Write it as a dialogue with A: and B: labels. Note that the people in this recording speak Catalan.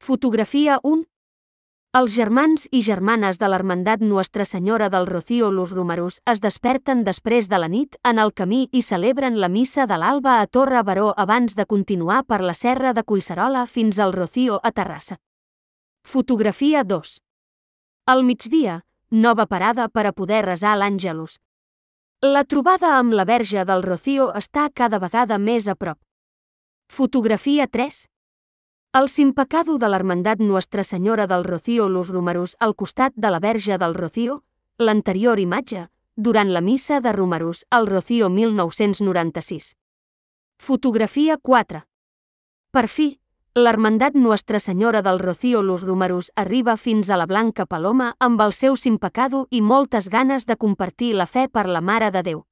A: Fotografia 1. Els germans i germanes de l'Hermandat Nuestra Senyora del Rocío Los Romerus es desperten després de la nit en el camí i celebren la missa de l'alba a Torre Baró abans de continuar per la serra de Collserola fins al Rocío a Terrassa. Fotografia 2. Al migdia, nova parada per a poder resar l'Àngelus. La trobada amb la Verge del Rocío està cada vegada més a prop. Fotografia 3. El simpecado de l'Hermandat Nuestra Senyora del Rocío Los Romerus al costat de la Verge del Rocío, l'anterior imatge, durant la missa de Romerus al Rocío 1996. Fotografia 4. Per fi, l'Hermandat Nuestra Senyora del Rocío Los Romerus arriba fins a la Blanca Paloma amb el seu simpecado i moltes ganes de compartir la fe per la Mare de Déu.